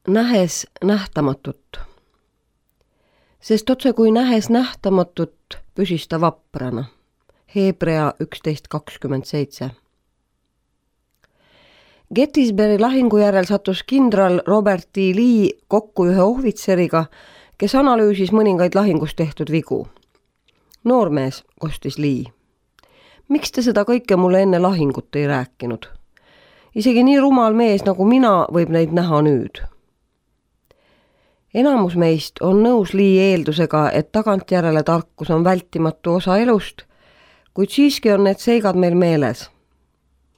nähes nähtamatut. Sest otse kui nähes nähtamatut, püsis ta vaprana. Hebrea 11:27. Gettysburgi lahingu järel sattus kindral Robert D. Lee kokku ühe ohvitseriga, kes analüüsis mõningaid lahingus tehtud vigu. Noormees, kostis Lee. Miks te seda kõike mulle enne lahingut ei rääkinud? Isegi nii rumal mees nagu mina võib neid näha nüüd. Enamus meist on nõus Lee eeldusega, et tagantjärele tarkus on vältimatu osa elust, kuid siiski on need seigad meil meeles.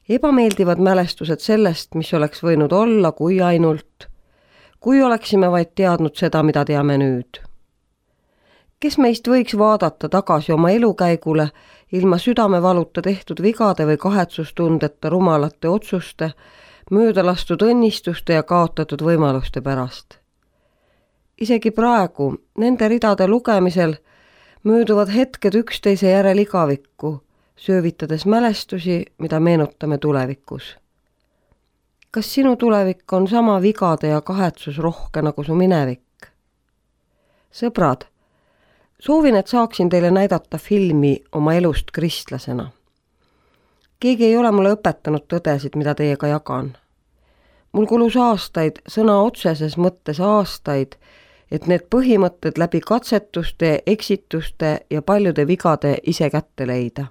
Ebameeldivad mälestused sellest, mis oleks võinud olla, kui oleksime vaid teadnud seda, mida teame nüüd. Kes meist võiks vaadata tagasi oma elukäigule ilma südamevaluta tehtud vigade või kahetsustundeta rumalate otsuste, möödalastud õnnistuste ja kaotatud võimaluste pärast? Isegi praegu, nende ridade lugemisel, mööduvad hetked üksteise järel igavikku, söövitades mälestusi, mida meenutame tulevikus. Kas sinu tulevik on sama vigade ja kahetsusrohke nagu su minevik? Sõbrad, soovin, et saaksin teile näidata filmi oma elust kristlasena. Keegi ei ole mulle õpetanud tõdesid, mida teiega jagan. Mul kulus aastaid, sõna otseses mõttes aastaid, et need põhimõtted läbi katsetuste, eksituste ja paljude vigade ise kätte leida.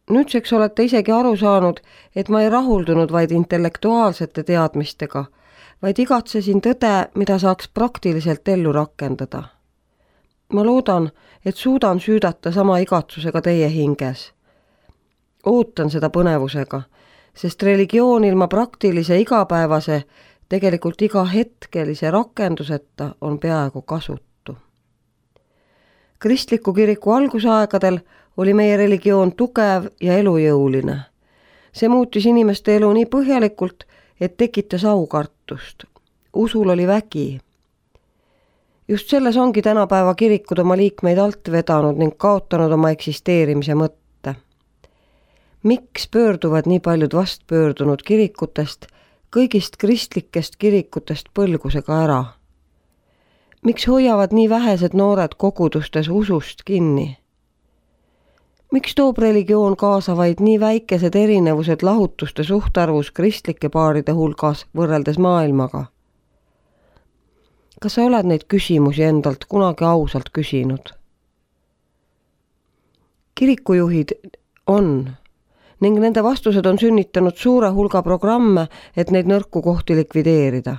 Nüüdseks olete isegi aru saanud, et ma ei rahuldunud vaid intellektuaalsete teadmistega, vaid igatsesin tõde, mida saaks praktiliselt ellu rakendada. Ma loodan, et suudan süüdata sama igatsusega teie hinges. Ootan seda põnevusega, sest religioon ilma praktilise igapäevase, tegelikult iga hetkelise rakenduseta on peaaegu kasutu. Kristliku kiriku algusaegadel oli meie religioon tugev ja elujõuline. See muutis inimeste elu nii põhjalikult, et tekitas aukartust. Usul oli vägi. Just selles ongi tänapäeva kirikud oma liikmeid alt vedanud ning kaotanud oma eksisteerimise mõtte. Miks pöörduvad nii paljud vastpöördunud kirikutest, kõigist kristlikest kirikutest põlgusega ära? Miks hoiavad nii vähesed noored kogudustes usust kinni? Miks toob religioon kaasa vaid nii väikesed erinevused lahutuste suhtarvus kristlike paaride hulgas võrreldes maailmaga? Kas sa oled neid küsimusi endalt kunagi ausalt küsinud? Kirikujuhid on ning nende vastused on sünnitanud suure hulga programme, et neid nõrku kohti likvideerida.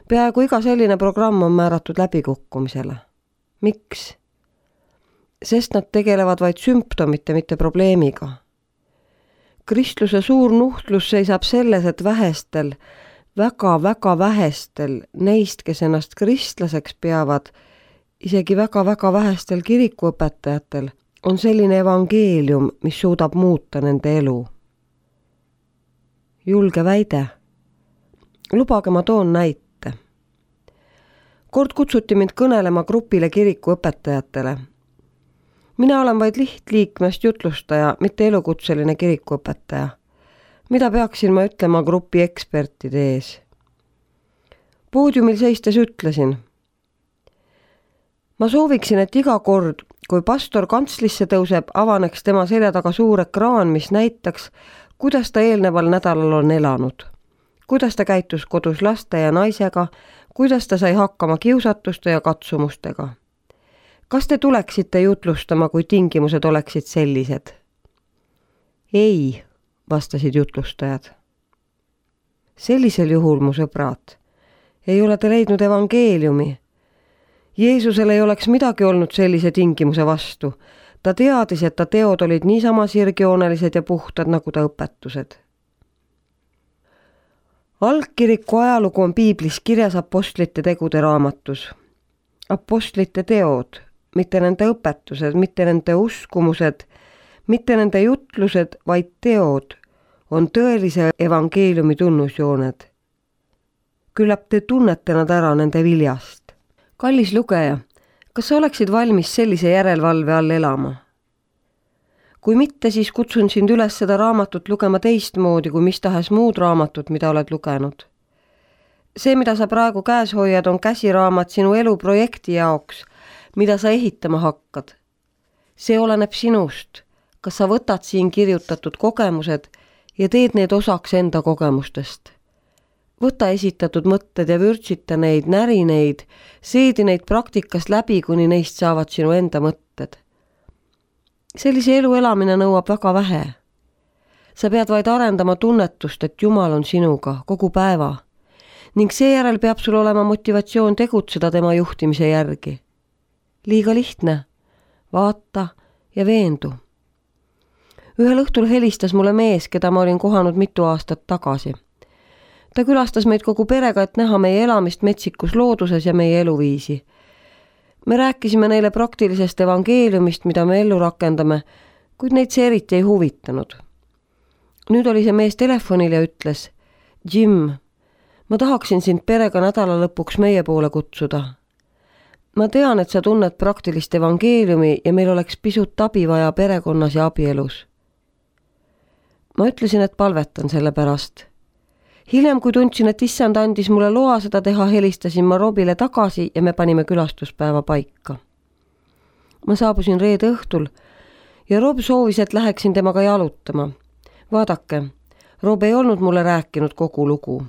Peaaegu iga selline programm on määratud läbikukkumisele. Miks? Sest nad tegelevad vaid sümptomite, mitte probleemiga. Kristluse suur nuhtlus seisab selles, et vähestel, väga-väga vähestel neist, kes ennast kristlaseks peavad, isegi väga-väga vähestel kirikuõpetajatel, on selline evangeelium, mis suudab muuta nende elu. Julge väide. Lubage, ma toon näite. Kord kutsuti mind kõnelema grupile kirikuõpetajatele. Mina olen vaid lihtliikmest jutlustaja, mitte elukutseline kirikuõpetaja. Mida peaksin ma ütlema grupi ekspertide ees? Poodiumil seistes ütlesin: ma sooviksin, et iga kord, kui pastor kantslisse tõuseb, avaneks tema selja taga suur ekraan, mis näitaks, kuidas ta eelneval nädalal on elanud. Kuidas ta käitus kodus laste ja naisega, kuidas ta sai hakkama kiusatuste ja katsumustega. Kas te tuleksite jutlustama, kui tingimused oleksid sellised? Ei, vastasid jutlustajad. Sellisel juhul, mu sõbrad, ei ole te leidnud evangeeliumi. Jeesusel ei oleks midagi olnud sellise tingimuse vastu. Ta teadis, et ta teod olid niisama sirgjoonelised ja puhtad nagu ta õpetused. Algkiriku ajalugu on piiblis kirjas apostlite tegude raamatus. Apostlite teod, mitte nende õpetused, mitte nende uskumused, mitte nende jutlused, vaid teod on tõelise evangeeliumi tunnusjooned. Küllap te tunnete nad ära nende viljast. Kallis lugeja, kas sa oleksid valmis sellise järelevalve all elama? Kui mitte, siis kutsun sind üles seda raamatut lugema teistmoodi kui mis tahes muud raamatut, mida oled lugenud. See, mida sa praegu käes hoiad, on käsiraamat sinu eluprojekti jaoks, mida sa ehitama hakkad. See oleneb sinust, kas sa võtad siin kirjutatud kogemused ja teed need osaks enda kogemustest. Võta esitatud mõtted ja vürtsita neid, näri neid, seedi neid praktikast läbi, kuni neist saavad sinu enda mõtted. Sellise elu elamine nõuab väga vähe. Sa pead vaid arendama tunnetust, et Jumal on sinuga kogu päeva ning seejärel peab sul olema motivatsioon tegutseda tema juhtimise järgi. Liiga lihtne. Vaata ja veendu. Ühel õhtul helistas mulle mees, keda ma olin kohanud mitu aastat tagasi. Ta külastas meid kogu perega, et näha meie elamist metsikus looduses ja meie eluviisi. Me rääkisime neile praktilisest evangeeliumist, mida me ellu rakendame, kuid neid see eriti ei huvitanud. Nüüd oli see mees telefonil ja ütles, Jim, ma tahaksin sind perega nädala lõpuks meie poole kutsuda. Ma tean, et sa tunned praktilist evangeeliumi ja meil oleks pisut abi vaja perekonnas ja abielus. Ma ütlesin, et palvetan selle pärast. Hiljem, kui tundsin, et issand andis mulle loa seda teha, helistasin ma Robile tagasi ja me panime külastuspäeva paika. Ma saabusin reede õhtul ja Rob soovis, et läheksin temaga jalutama. Vaadake, Rob ei olnud mulle rääkinud kogu lugu.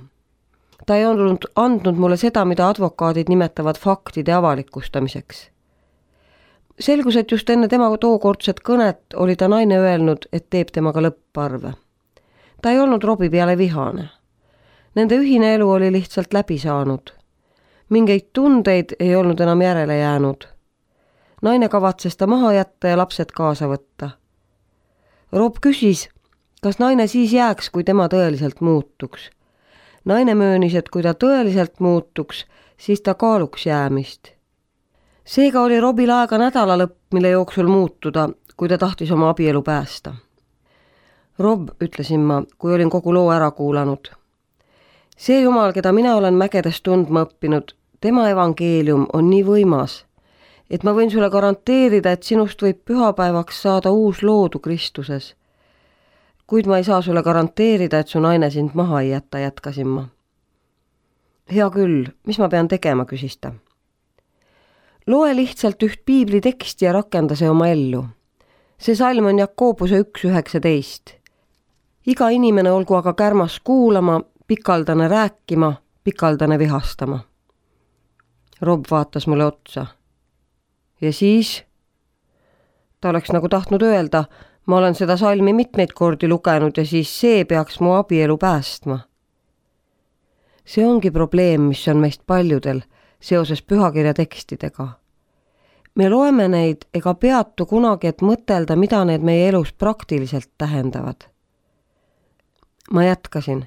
Ta ei olnud andnud mulle seda, mida advokaadid nimetavad faktide avalikustamiseks. Selgus, et just enne tema tookordset kõnet oli ta naine öelnud, et teeb temaga lõpparve. Ta ei olnud Robi peale vihane. Nende ühine elu oli lihtsalt läbi saanud. Mingeid tundeid ei olnud enam järele jäänud. Naine kavatses ta maha jätta ja lapsed kaasa võtta. Rob küsis, kas naine siis jääks, kui tema tõeliselt muutuks. Naine möönis, et kui ta tõeliselt muutuks, siis ta kaaluks jäämist. Seega oli Robil aega nädala lõpp, mille jooksul muutuda, kui ta tahtis oma abielu päästa. Rob, ütlesin ma, kui olin kogu loo ära kuulanud. See Jumal, keda mina olen mägedes tundma õppinud, tema evangeelium on nii võimas, et ma võin sulle garanteerida, et sinust võib pühapäevaks saada uus loodu Kristuses. Kuid ma ei saa sulle garanteerida, et su naine sind maha ei jätta, jätkasin ma. Hea küll, mis ma pean tegema, küsis ta. Loe lihtsalt üht piibli teksti ja rakenda see oma ellu. See salm on Jakobuse 1:19. Iga inimene olgu aga kärmas kuulama, pikaldane rääkima, pikaldane vihastama. Rob vaatas mulle otsa. Ja siis? Ta oleks nagu tahtnud öelda, ma olen seda salmi mitmeid kordi lugenud ja siis see peaks mu abielu päästma. See ongi probleem, mis on meist paljudel seoses pühakirja tekstidega. Me loeme neid ega peatu kunagi, et mõtelda, mida need meie elus praktiliselt tähendavad. Ma jätkasin.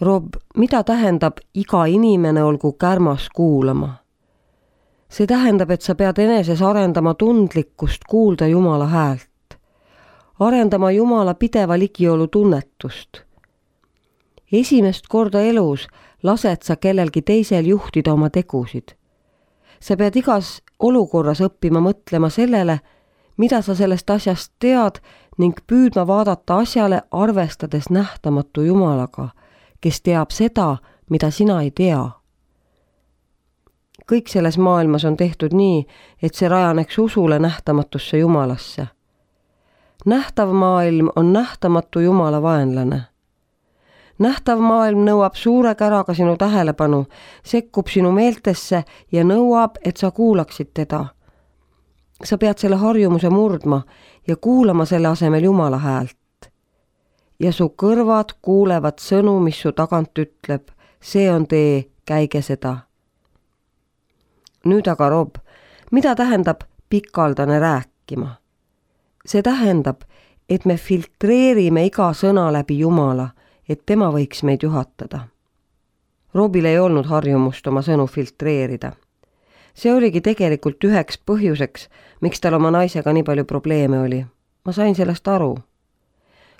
Rob, mida tähendab iga inimene olgu kärmas kuulama? See tähendab, et sa pead eneses arendama tundlikkust kuulda Jumala häält. Arendama Jumala pideva ligiolu tunnetust. Esimest korda elus lased sa kellelgi teisel juhtida oma tegusid. Sa pead igas olukorras õppima mõtlema sellele, mida sa sellest asjast tead ning püüdma vaadata asjale arvestades nähtamatu Jumalaga, kes teab seda, mida sina ei tea. Kõik selles maailmas on tehtud nii, et see rajaneks usule nähtamatusse Jumalasse. Nähtav maailm on nähtamatu Jumala vaenlane. Nähtav maailm nõuab suure käraga sinu tähelepanu, sekkub sinu meeltesse ja nõuab, et sa kuulaksid teda. Sa pead selle harjumuse murdma ja kuulama selle asemel Jumala häält. Ja su kõrvad kuulevad sõnu, mis su tagant ütleb, see on tee, käige seda. Nüüd aga, Rob, mida tähendab pikaldane rääkima? See tähendab, et me filtreerime iga sõna läbi Jumala, et tema võiks meid juhatada. Robil ei olnud harjumust oma sõnu filtreerida. See oligi tegelikult üheks põhjuseks, miks tal oma naisega nii palju probleeme oli. Ma sain sellest aru.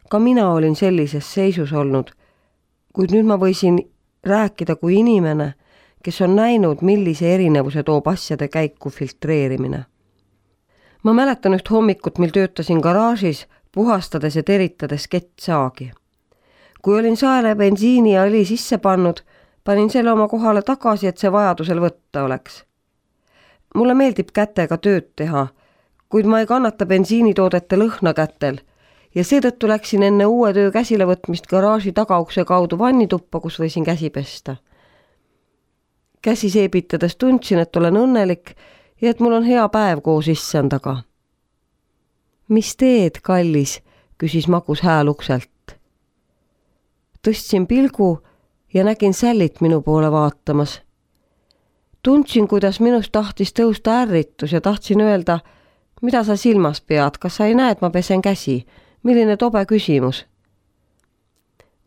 Ka mina olin sellises seisus olnud, kuid nüüd ma võisin rääkida kui inimene, kes on näinud, millise erinevuse toob asjade käiku filtreerimine. Ma mäletan üht hommikut, mil töötasin garaažis, puhastades ja teritades kettsaagi. Kui olin saele bensiini ja õli sisse pannud, Panin selle oma kohale tagasi, et see vajadusel võtta oleks. Mulle meeldib kätega tööd teha, kuid ma ei kannata bensiinitoodete lõhna kätel ja seetõttu läksin enne uue töö käsilevõtmist garaaži tagaukse kaudu vannituppa, kus võisin käsi pesta. Käsi seebitades tundsin, et olen õnnelik ja et mul on hea päev koos issandaga. Mis teed, kallis, küsis magus hääl ukselt. Tõstsin pilgu ja nägin Sallit minu poole vaatamas. Tundsin, kuidas minust tahtis tõusta ärritus ja tahtsin öelda, mida sa silmas pead, kas sa ei näe, et ma pesen käsi? Milline tobe küsimus?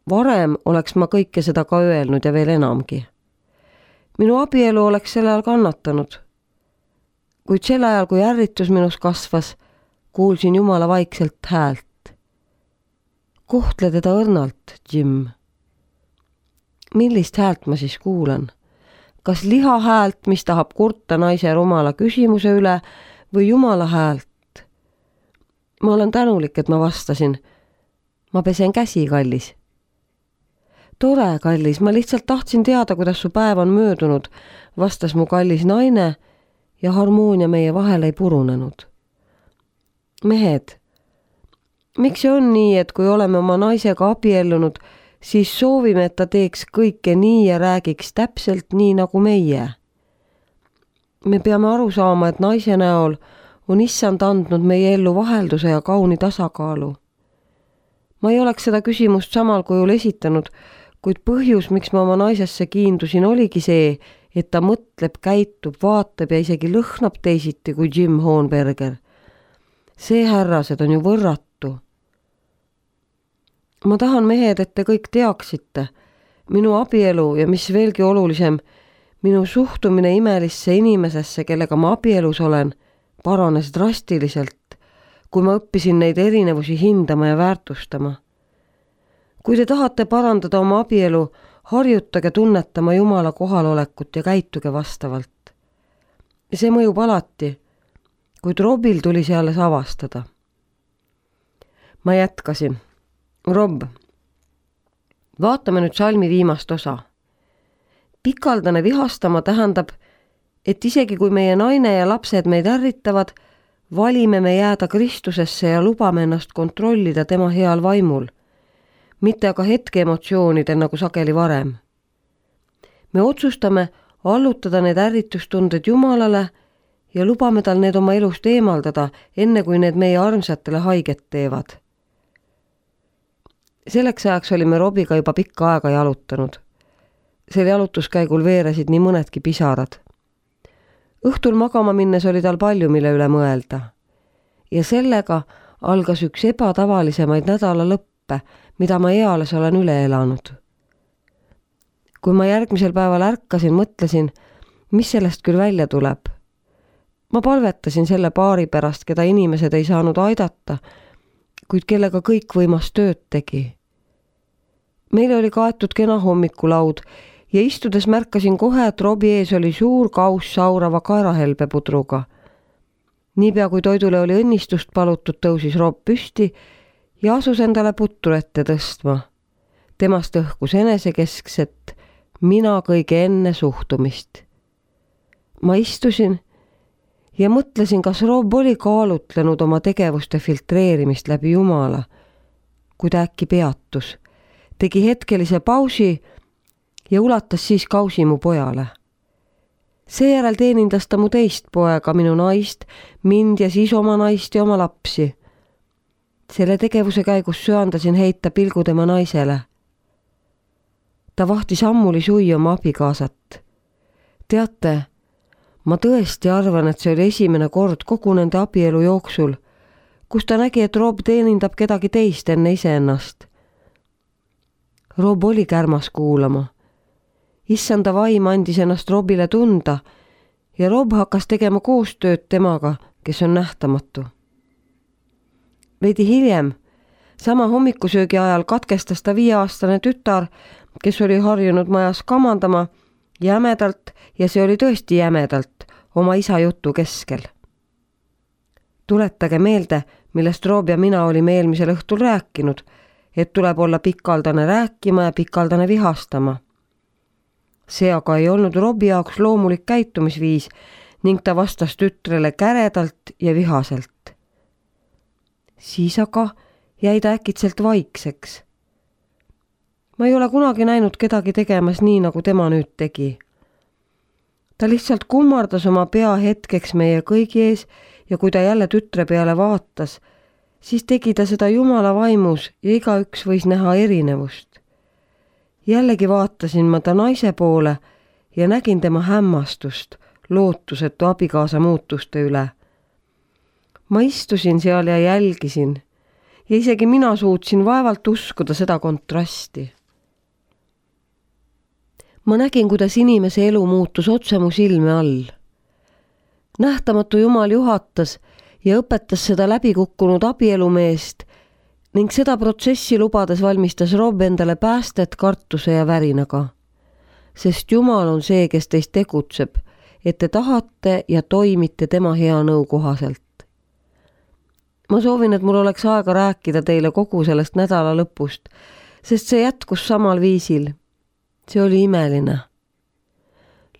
Varem oleks ma kõike seda ka öelnud ja veel enamgi. Minu abielu oleks selle ajal kannatanud. Kuid sel ajal, kui ärritus minus kasvas, kuulsin Jumala vaikselt häält. Kohtle teda õrnalt, Jim. Millist häält ma siis kuulan? Kas liha häält, mis tahab kurta naise rumala küsimuse üle, või Jumala häält? Ma olen tänulik, et ma vastasin. Ma pesen käsi, kallis. Tore, kallis, ma lihtsalt tahtsin teada, kuidas su päev on möödunud, vastas mu kallis naine ja harmoonia meie vahel ei purunenud. Mehed, miks see on nii, et kui oleme oma naisega abiellunud, siis soovime, et ta teeks kõike nii ja räägiks täpselt nii nagu meie? Me peame aru saama, et naise näol on issand andnud meie ellu vahelduse ja kauni tasakaalu. Ma ei oleks seda küsimust samal kujul esitanud, kuid põhjus, miks ma oma naisesse kiindusin, oligi see, et ta mõtleb, käitub, vaatab ja isegi lõhnab teisiti kui Jim Hohenberger. See, härrased, on ju võrratu. Ma tahan, mehed, et te kõik teaksite. Minu abielu ja mis veelgi olulisem, minu suhtumine imelisse inimesesse, kellega ma abielus olen, paranes drastiliselt, kui ma õppisin neid erinevusi hindama ja väärtustama. Kui te tahate parandada oma abielu, harjutage tunnetama Jumala kohalolekut ja käituge vastavalt. See mõjub alati, kuid Robil tuli see alles avastada. Ma jätkasin. Rob, vaatame nüüd salmi viimast osa. Pikaldane vihastama tähendab, et isegi kui meie naine ja lapsed meid ärritavad, valime me jääda Kristusesse ja lubame ennast kontrollida tema heal vaimul, mitte aga hetke emotsioonidel nagu sageli varem. Me otsustame allutada need ärritustunded Jumalale ja lubame tal need oma elust eemaldada, enne kui need meie armsatele haiget teevad. Selleks ajaks olime Robiga juba pikka aega jalutanud. Sel jalutuskäigul veeresid nii mõnedki pisarad. Õhtul magama minnes oli tal palju, mille üle mõelda. Ja sellega algas üks ebatavalisemaid nädala lõppe, mida ma eales olen üle elanud. Kui ma järgmisel päeval ärkasin, mõtlesin, mis sellest küll välja tuleb. Ma palvetasin selle paari pärast, keda inimesed ei saanud aidata, kuid kellega kõik võimas tööd tegi. Meil oli kaetud kena hommikulaud ja istudes märkasin kohe, et Robi ees oli suur kauss saurava kaerahelbepudruga. Niipea kui toidule oli õnnistust palutud, tõusis Rob püsti ja asus endale putru ette tõstma. Temast õhkus enesekeskset, mina kõige enne suhtumist. Ma istusin ja mõtlesin, kas Rob oli kaalutlenud oma tegevuste filtreerimist läbi Jumala, kui ta äkki peatus, tegi hetkelise pausi ja ulatas siis kausi mu pojale. Seejärel teenindas ta mu teist poega, minu naist, mind ja siis oma naist ja oma lapsi. Selle tegevuse käigus söandasin heita pilgu tema naisele. Ta vahtis ammuli sui oma abikaasat. Teate, ma tõesti arvan, et see oli esimene kord kogu nende abielu jooksul, kus ta nägi, et Rob teenindab kedagi teist enne iseennast. Rob oli kärmas kuulama. Issanda vaim andis ennast Robile tunda ja Rob hakkas tegema koostööd temaga, kes on nähtamatu. Veidi hiljem, sama hommikusöögi ajal katkestas ta 5-aastane tütar, kes oli harjunud majas kamandama jämedalt ja see oli tõesti jämedalt oma isa jutu keskel. Tuletage meelde, millest Rob ja mina olime eelmisel õhtul rääkinud, et tuleb olla pikaldane rääkima ja pikaldane vihastama. See aga ei olnud Robbie jaoks loomulik käitumisviis ning ta vastas tütrele käredalt ja vihaselt. Siis aga jäi ta äkitselt vaikseks. Ma ei ole kunagi näinud kedagi tegemas nii, nagu tema nüüd tegi. Ta lihtsalt kummardas oma pea hetkeks meie kõigi ees ja kui ta jälle tütre peale vaatas, siis tegi ta seda Jumala vaimus ja igaüks võis näha erinevust. Jällegi vaatasin ma ta naise poole ja nägin tema hämmastust lootusetu abikaasa muutuste üle. Ma istusin seal ja jälgisin ja isegi mina suutsin vaevalt uskuda seda kontrasti. Ma nägin, kuidas inimese elu muutus otse mu silme all. Nähtamatu Jumal juhatas ja õpetas seda läbikukkunud abielumeest ning seda protsessi lubades valmistas Rob endale päästet kartuse ja värinaga. Sest Jumal on see, kes teist tegutseb, et te tahate ja toimite tema hea nõu kohaselt. Ma soovin, et mul oleks aega rääkida teile kogu sellest nädala lõpust, sest see jätkus samal viisil. See oli imeline.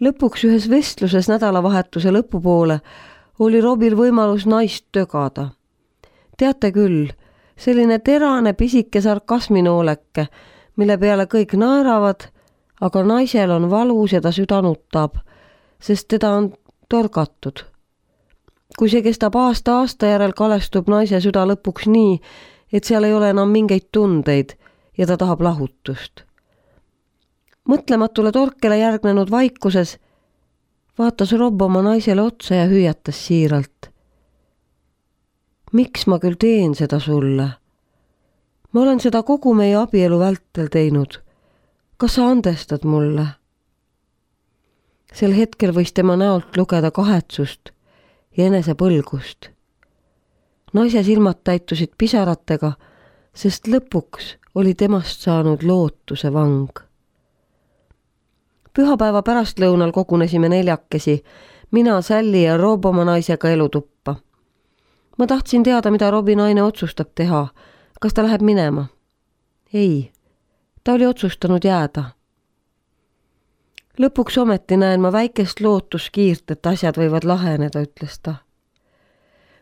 Lõpuks ühes vestluses nädalavahetuse lõpupoole oli Robil võimalus naist tögada. Teate küll, selline terane pisike sarkasminooleke, mille peale kõik naeravad, aga naisel on valus ja ta süda nutab, sest teda on torgatud. Kui see kestab aasta järel, kalestub naise süda lõpuks nii, et seal ei ole enam mingeid tundeid ja ta tahab lahutust. Mõtlematule torkele järgnenud vaikuses vaatas Rob oma naisele otsa ja hüüatas siiralt. Miks ma küll teen seda sulle? Ma olen seda kogu meie abielu vältel teinud. Kas sa andestad mulle? Sel hetkel võis tema näolt lugeda kahetsust ja enesepõlgust. Naise silmad täitusid pisaratega, sest lõpuks oli temast saanud lootuse vang. Pühapäeva pärastlõunal kogunesime 4, mina, Sally ja Rob oma naisega elutuppa. Ma tahtsin teada, mida Robi naine otsustab teha. Kas ta läheb minema? Ei, ta oli otsustanud jääda. Lõpuks ometi näen ma väikest lootuskiirt, et asjad võivad laheneda, ütles ta.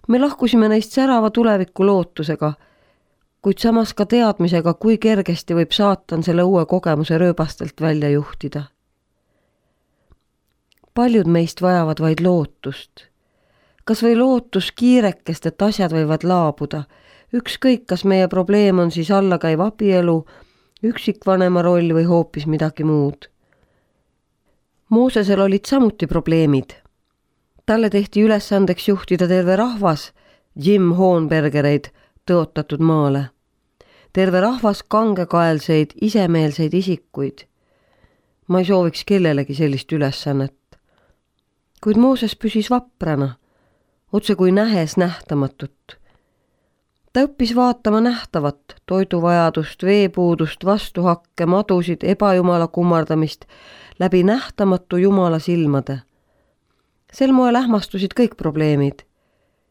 Me lahkusime neist särava tuleviku lootusega, kuid samas ka teadmisega, kui kergesti võib saatan selle uue kogemuse rööbastelt välja juhtida. Paljud meist vajavad vaid lootust. Kas või lootus kiirekest, et asjad võivad laabuda. Ükskõik, kas meie probleem on siis allakäiv abielu, üksikvanema roll või hoopis midagi muud. Moosesel olid samuti probleemid. Talle tehti ülesandeks juhtida terve rahvas, Jim Hohenbergereid, tõotatud maale. Terve rahvas kangekaelseid, isemeelseid isikuid. Ma ei sooviks kellelegi sellist ülesannet. Kuid Mooses püsis vaprana, otse kui nähes nähtamatut. Ta õppis vaatama nähtavat, toiduvajadust, veepuudust, vastuhakke, madusid, ebajumala kummardamist läbi nähtamatu Jumala silmade. Sel moel ähmastusid kõik probleemid.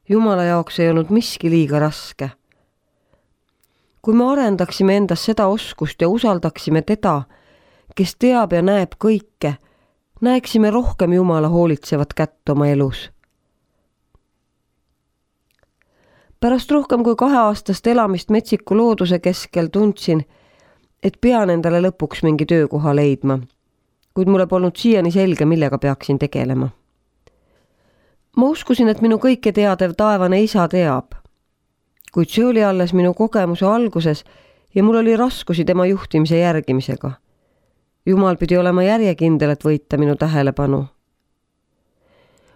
Jumala jaoks ei olnud miski liiga raske. Kui me arendaksime endas seda oskust ja usaldaksime teda, kes teab ja näeb kõike, näeksime rohkem Jumala hoolitsevat kätt oma elus. Pärast rohkem kui 2-aastast elamist metsiku looduse keskel tundsin, et pean endale lõpuks mingi töökoha leidma, kuid mulle polnud siiani selge, millega peaksin tegelema. Ma uskusin, et minu kõike teadev taevane isa teab, kuid see oli alles minu kogemuse alguses ja mul oli raskusi tema juhtimise järgimisega. Jumal pidi olema järjekindel, et võita minu tähelepanu.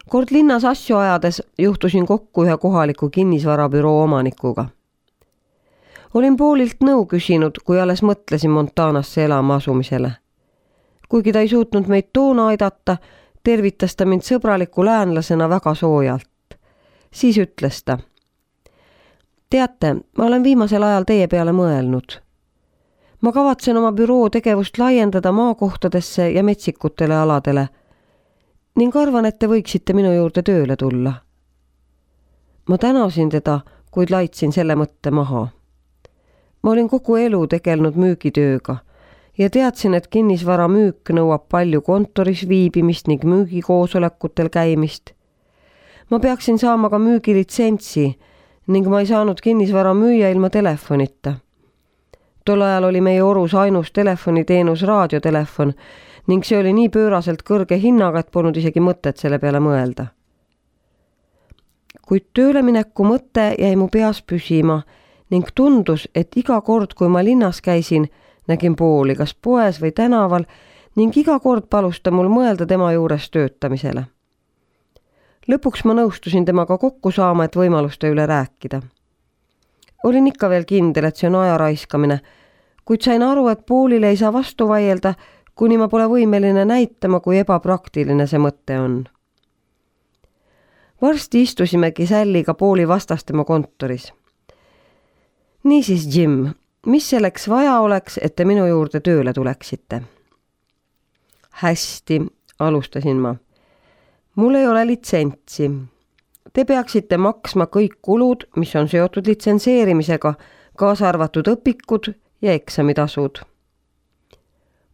Kord linnas asju ajades juhtusin kokku ühe kohaliku kinnisvarabüroo omanikuga. Olin poolilt nõu küsinud, kui alles mõtlesin Montanasse elama asumisele. Kuigi ta ei suutnud meid toona aidata, tervitas ta mind sõbraliku läänlasena väga soojalt. Siis ütles ta: Teate, ma olen viimasel ajal teie peale mõelnud. Ma kavatsen oma büroo tegevust laiendada maakohtadesse ja metsikutele aladele ning arvan, et te võiksite minu juurde tööle tulla. Ma tänasin teda, kuid laitsin selle mõtte maha. Ma olin kogu elu tegelenud müügitööga ja teadsin, et kinnisvara müük nõuab palju kontoris viibimist ning müügikoosolekutel käimist. Ma peaksin saama ka müügilitsentsi ning ma ei saanud kinnisvara müüa ilma telefonita. Tol ajal oli meie orus ainus telefoniteenus raadiotelefon ning see oli nii pööraselt kõrge hinnaga, et polnud isegi mõtet selle peale mõelda. Kuid töölemineku mõte jäi mu peas püsima ning tundus, et iga kord, kui ma linnas käisin, nägin Pauli kas poes või tänaval ning iga kord palus ta mul mõelda tema juures töötamisele. Lõpuks ma nõustusin temaga kokku saama, et võimaluste üle rääkida. Olin ikka veel kindel, et see on aja raiskamine, kuid sain aru, et Paulile ei saa vastu vaielda, kuni ma pole võimeline näitama, kui ebapraktiline see mõte on. Varsti istusimegi Salliga Pauli vastas tema kontoris. Niisiis, Jim, mis selleks vaja oleks, et te minu juurde tööle tuleksite? Hästi, alustasin ma. Mul ei ole litsentsi. Te peaksite maksma kõik kulud, mis on seotud litsenseerimisega, kaasa arvatud õpikud ja eksamitasud.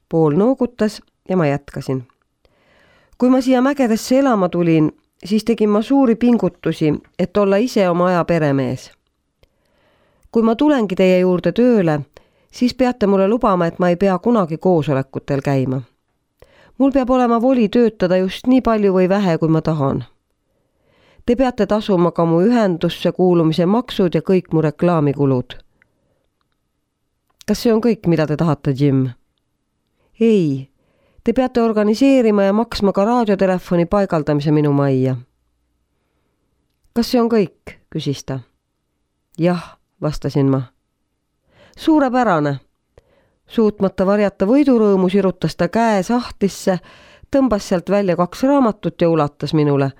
Paul noogutas ja ma jätkasin. Kui ma siia mägedesse elama tulin, siis tegin ma suuri pingutusi, et olla ise oma aja peremees. Kui ma tulengi teie juurde tööle, siis peate mulle lubama, et ma ei pea kunagi koosolekutel käima. Mul peab olema voli töötada just nii palju või vähe, kui ma tahan. Te peate tasuma ka mu ühendusse kuulumise maksud ja kõik mu reklaamikulud. Kas see on kõik, mida te tahate, Jim? Ei, te peate organiseerima ja maksma ka raadiotelefoni paigaldamise minu majja. Kas see on kõik, küsis ta. Jah, vastasin ma. Suurepärane. Suutmata varjata võidurõõmu sirutas ta käe sahtlisse, tõmbas sealt välja 2 raamatut ja ulatas minule.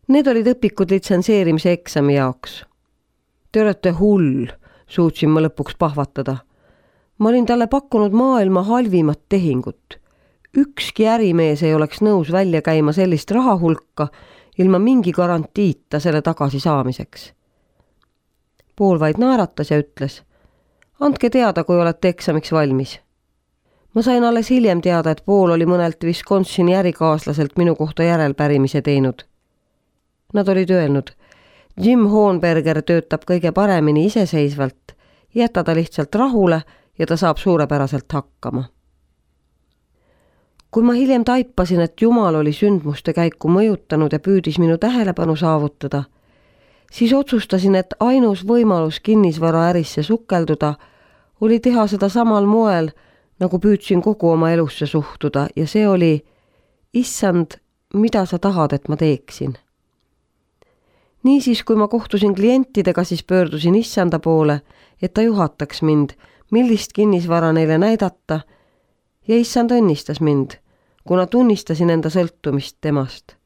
Need olid õpikud litsenseerimise eksami jaoks. Te olete hull, suutsin ma lõpuks pahvatada. Ma olin talle pakkunud maailma halvimat tehingut. Ükski ärimees ei oleks nõus välja käima sellist rahahulka ilma mingi garantiita selle tagasi saamiseks. Paul vaid naeratas ja ütles, andke teada, kui olete eksamiks valmis. Ma sain alles hiljem teada, et Paul oli mõnelt Wisconsini ärikaaslaselt minu kohta järelpärimise teinud. Nad olid öelnud, Jim Hohenberger töötab kõige paremini iseseisvalt, jäta ta lihtsalt rahule ja ta saab suurepäraselt hakkama. Kui ma hiljem taipasin, et Jumal oli sündmuste käiku mõjutanud ja püüdis minu tähelepanu saavutada, siis otsustasin, et ainus võimalus kinnisvaraärisse sukelduda oli teha seda samal moel, nagu püüdsin kogu oma elusse suhtuda ja see oli, issand, mida sa tahad, et ma teeksin. Niisiis, kui ma kohtusin klientidega, siis pöördusin issanda poole, et ta juhataks mind, millist kinnisvara neile näidata ja issand õnnistas mind, kuna tunnistasin enda sõltumist temast.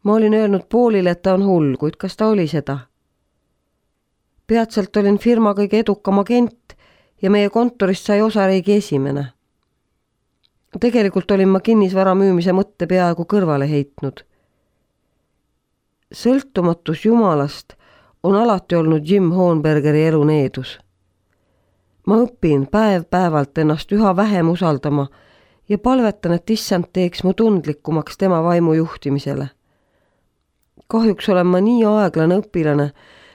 Ma olin öelnud Paulile, et ta on hull, kuid kas ta oli seda? Peatselt olin firma kõige edukam agent ja meie kontorist sai osariigi esimene. Tegelikult olin ma kinnisvara müümise mõtte peaaegu kõrvale heitnud. Sõltumatus Jumalast on alati olnud Jim Hohenbergeri elu needus. Ma õpin päev-päevalt ennast üha vähem usaldama ja palvetan, et issand teeks mu tundlikumaks tema vaimu juhtimisele. Kahjuks olen ma nii aeglane õpilane,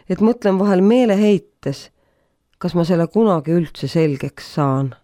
et mõtlen vahel meeleheites, kas ma selle kunagi üldse selgeks saan.